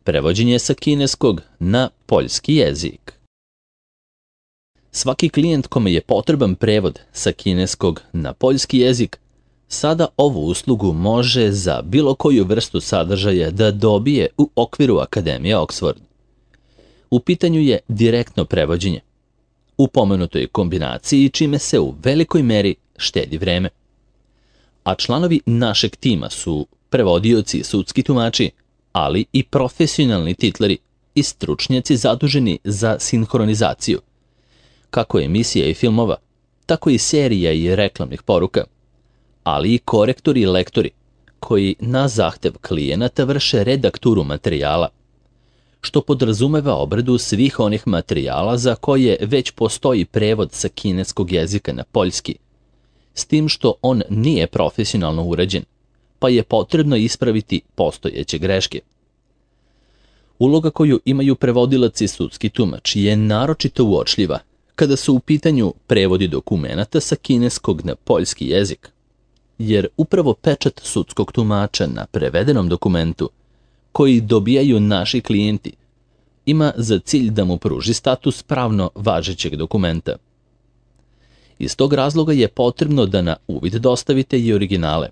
Prevođenje sa kineskog na poljski jezik. Svaki klijent kome je potreban prevod sa kineskog na poljski jezik sada ovu uslugu može za bilo koju vrstu sadržaja da dobije u okviru Akademije Oxford. U pitanju je direktno prevođenje. U pomenutoj kombinaciji čime se u velikoj meri štedi vreme. A članovi našeg tima su prevodioci i sudski tumači, ali i profesionalni titleri i stručnjaci zaduženi za sinhronizaciju, kako emisija i filmova, tako i serija i reklamnih poruka, ali i korektori i lektori, koji na zahtev klijenata vrše redakturu materijala, što podrazumeva obradu svih onih materijala za koje već postoji prevod sa kineskog jezika na poljski, s tim što on nije profesionalno urađen, pa je potrebno ispraviti postojeće greške. Uloga koju imaju prevodilac i sudski tumač je naročito uočljiva kada su u pitanju prevodi dokumenata sa kineskog na poljski jezik, jer upravo pečat sudskog tumača na prevedenom dokumentu, koji dobijaju naši klijenti, ima za cilj da mu pruži status pravno važećeg dokumenta. Iz tog razloga je potrebno da na uvid dostavite i originale,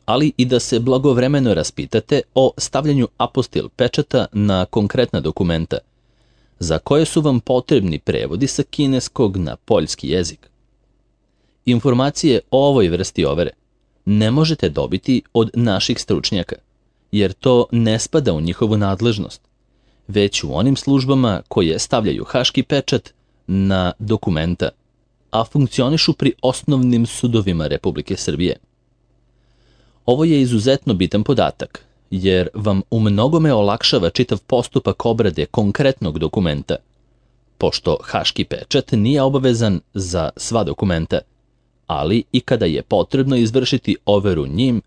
ali i da se blagovremeno raspitate o stavljanju apostil pečata na konkretna dokumenta, za koje su vam potrebni prevodi sa kineskog na poljski jezik. Informacije o ovoj vrsti overe ne možete dobiti od naših stručnjaka, jer to ne spada u njihovu nadležnost, već u onim službama koje stavljaju haški pečat na dokumenta, a funkcionišu pri osnovnim sudovima Republike Srbije. Ovo je izuzetno bitan podatak, jer vam u mnogome olakšava čitav postupak obrade konkretnog dokumenta, pošto haški pečat nije obavezan za sva dokumenta, ali i kada je potrebno izvršiti overu njim,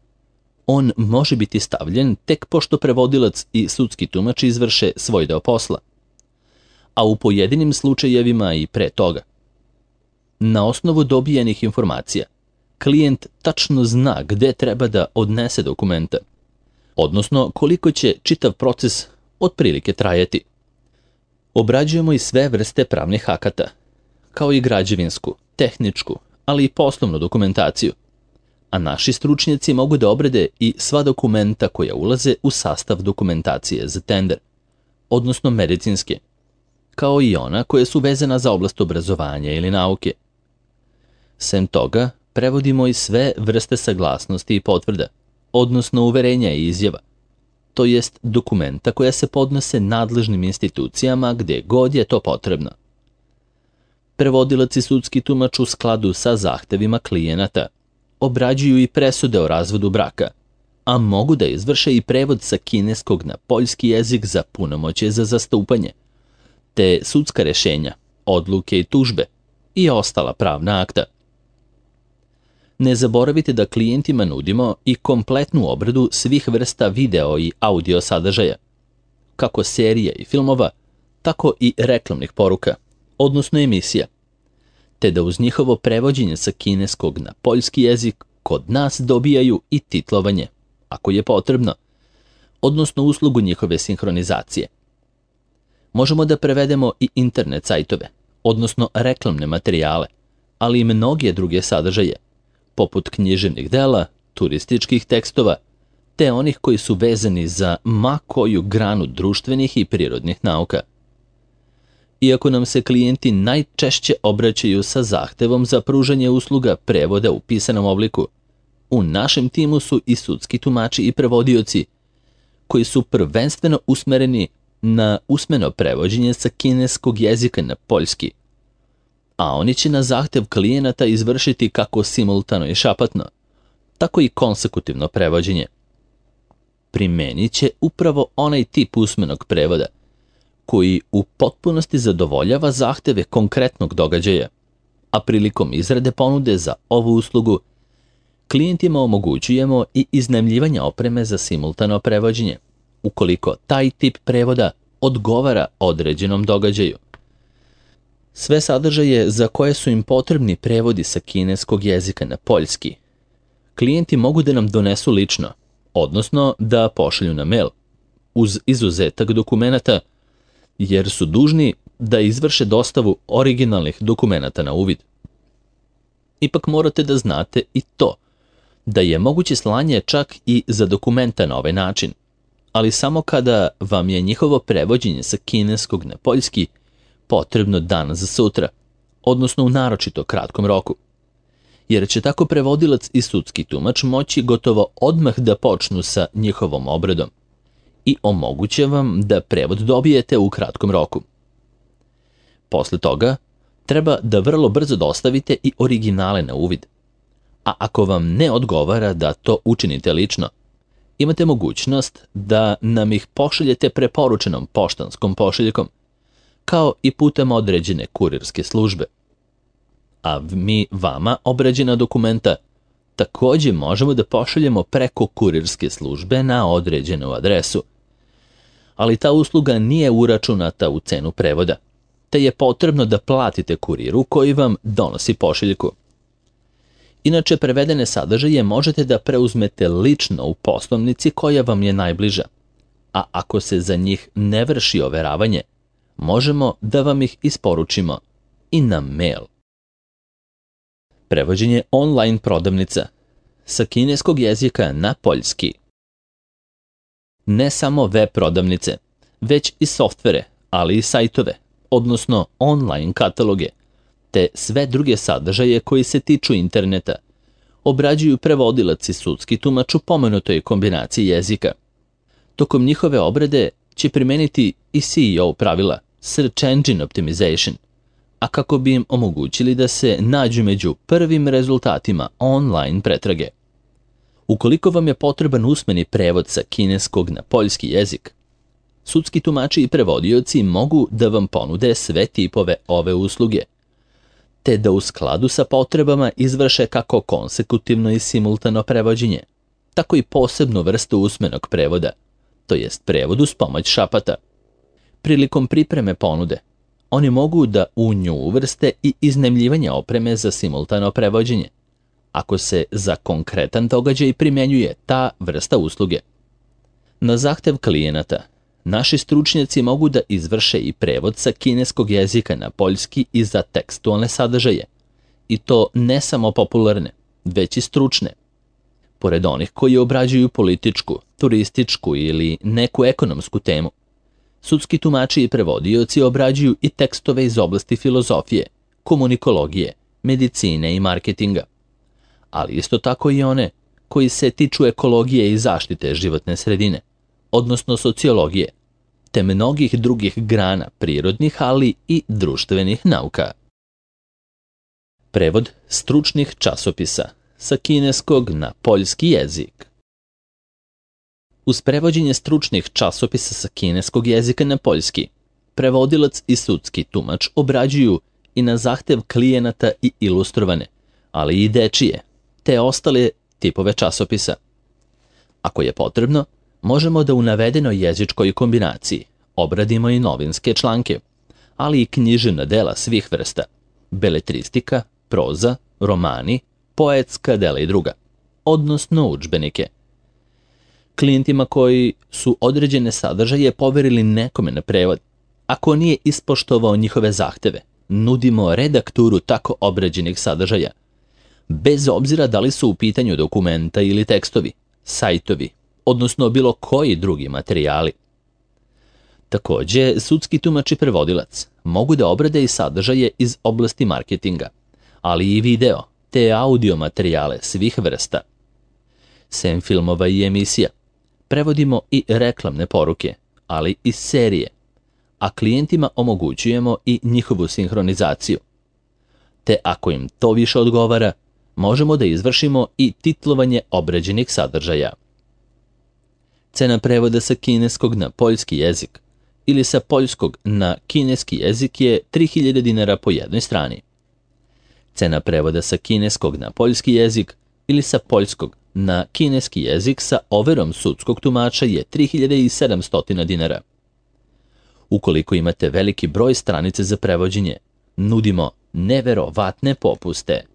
on može biti stavljen tek pošto prevodilac i sudski tumač izvrše svoj deo posla, a u pojedinim slučajevima i pre toga. Na osnovu dobijenih informacija, klijent tačno zna gde treba da odnese dokumenta, odnosno koliko će čitav proces otprilike trajati. Obrađujemo i sve vrste pravnih akata, kao i građevinsku, tehničku, ali i poslovnu dokumentaciju, a naši stručnjaci mogu da obrade i sva dokumenta koja ulaze u sastav dokumentacije za tender, odnosno medicinske, kao i ona koja su vezana za oblast obrazovanja ili nauke. Sem toga, prevodimo i sve vrste saglasnosti i potvrda, odnosno uverenja i izjava, to jest dokumenta koja se podnose nadležnim institucijama gde god je to potrebno. Prevodilac i sudski tumač u skladu sa zahtevima klijenata obrađuju i presude o razvodu braka, a mogu da izvrše i prevod sa kineskog na poljski jezik za punomoćje za zastupanje, te sudska rešenja, odluke i tužbe i ostala pravna akta. Ne zaboravite da klijentima nudimo i kompletnu obradu svih vrsta video i audio sadržaja, kako serija i filmova, tako i reklamnih poruka, odnosno emisija, te da uz njihovo prevođenje sa kineskog na poljski jezik kod nas dobijaju i titlovanje, ako je potrebno, odnosno uslugu njihove sinhronizacije. Možemo da prevedemo i internet sajtove, odnosno reklamne materijale, ali i mnoge druge sadržaje, poput književnih dela, turističkih tekstova, te onih koji su vezani za ma koju granu društvenih i prirodnih nauka. Iako nam se klijenti najčešće obraćaju sa zahtevom za pružanje usluga prevoda u pisanom obliku, u našem timu su i sudski tumači i prevodioci, koji su prvenstveno usmereni na usmeno prevođenje sa kineskog jezika na poljski, a oni će na zahtev klijenata izvršiti kako simultano i šapatno, tako i konsekutivno prevođenje. Primenit će upravo onaj tip usmenog prevoda, koji u potpunosti zadovoljava zahteve konkretnog događaja, a prilikom izrade ponude za ovu uslugu, klijentima omogućujemo i iznajmljivanje opreme za simultano prevođenje, ukoliko taj tip prevoda odgovara određenom događaju. Sve sadržaje za koje su im potrebni prevodi sa kineskog jezika na poljski, klijenti mogu da nam donesu lično, odnosno da pošalju na mail, uz izuzetak dokumenata, jer su dužni da izvrše dostavu originalnih dokumenata na uvid. Ipak morate da znate i to, da je moguće slanje čak i za dokumenta na ovaj način, ali samo kada vam je njihovo prevođenje sa kineskog na poljski potrebno danas za sutra, odnosno u naročito kratkom roku. Jer će tako prevodilac i sudski tumač moći gotovo odmah da počnu sa njihovom obradom i omoguće vam da prevod dobijete u kratkom roku. Posle toga, treba da vrlo brzo dostavite i originale na uvid. A ako vam ne odgovara da to učinite lično, imate mogućnost da nam ih pošaljete preporučenom poštanskom pošiljkom, kao i putem određene kurirske službe. A mi vama obrađena dokumenta takođe možemo da pošaljemo preko kurirske službe na određenu adresu. Ali ta usluga nije uračunata u cenu prevoda, te je potrebno da platite kuriru koji vam donosi pošiljku. Inače, prevedene sadržaje možete da preuzmete lično u poslovnici koja vam je najbliža, a ako se za njih ne vrši overavanje, možemo da vam ih isporučimo i na mail. Prevođenje online prodavnica sa kineskog jezika na poljski. Ne samo web prodavnice, već i softvere, ali i sajtove, odnosno online kataloge, te sve druge sadržaje koji se tiču interneta, obrađuju prevodilac i sudski tumač u pomenutoj kombinaciji jezika. Tokom njihove obrade će primeniti i SEO pravila, Search Engine Optimization, a kako bi im omogućili da se nađu među prvim rezultatima online pretrage. Ukoliko vam je potreban usmeni prevod sa kineskog na poljski jezik, sudski tumači i prevodioci mogu da vam ponude sve tipove ove usluge, te da u skladu sa potrebama izvrše kako konsekutivno i simultano prevođenje, tako i posebnu vrstu usmenog prevoda, to jest prevod uz pomoć šapata. Prilikom pripreme ponude, oni mogu da u nju uvrste i iznajmljivanje opreme za simultano prevođenje, ako se za konkretan događaj primjenjuje ta vrsta usluge. Na zahtev klijenata, naši stručnjaci mogu da izvrše i prevod sa kineskog jezika na poljski i za tekstualne sadržaje, i to ne samo popularne, već i stručne. Pored onih koji obrađuju političku, turističku ili neku ekonomsku temu, sudski tumači i prevodioci obrađuju i tekstove iz oblasti filozofije, komunikologije, medicine i marketinga, ali isto tako i one koji se tiču ekologije i zaštite životne sredine, odnosno sociologije, te mnogih drugih grana prirodnih, ali i društvenih nauka. Prevod stručnih časopisa sa kineskog na poljski jezik. Uz prevođenje stručnih časopisa sa kineskog jezika na poljski, prevodilac i sudski tumač obrađuju i na zahtev klijenata i ilustrovane, ali i dečije, te ostale tipove časopisa. Ako je potrebno, možemo da u navedenoj jezičkoj kombinaciji obradimo i novinske članke, ali i književna dela svih vrsta, beletristika, proza, romani, poetska dela i druga, odnosno udžbenike. Klijentima koji su određene sadržaje poverili nekome na prevod, ako nije ispoštovao njihove zahteve, nudimo redakturu tako obrađenih sadržaja, bez obzira da li su u pitanju dokumenta ili tekstovi, sajtovi, odnosno bilo koji drugi materijali. Takođe, sudski tumač i prevodilac mogu da obrade i sadržaje iz oblasti marketinga, ali i video te audio materijale svih vrsta. Sem filmova i emisija, prevodimo i reklamne poruke, ali i serije, a klijentima omogućujemo i njihovu sinhronizaciju. Te ako im to više odgovara, možemo da izvršimo i titlovanje obrađenih sadržaja. Cena prevoda sa kineskog na poljski jezik ili sa poljskog na kineski jezik je 3000 dinara po jednoj strani. Cena prevoda sa kineskog na poljski jezik ili sa poljskog na kineski jezik sa overom sudskog tumača je 3700 dinara. Ukoliko imate veliki broj stranice za prevođenje, nudimo neverovatne popuste.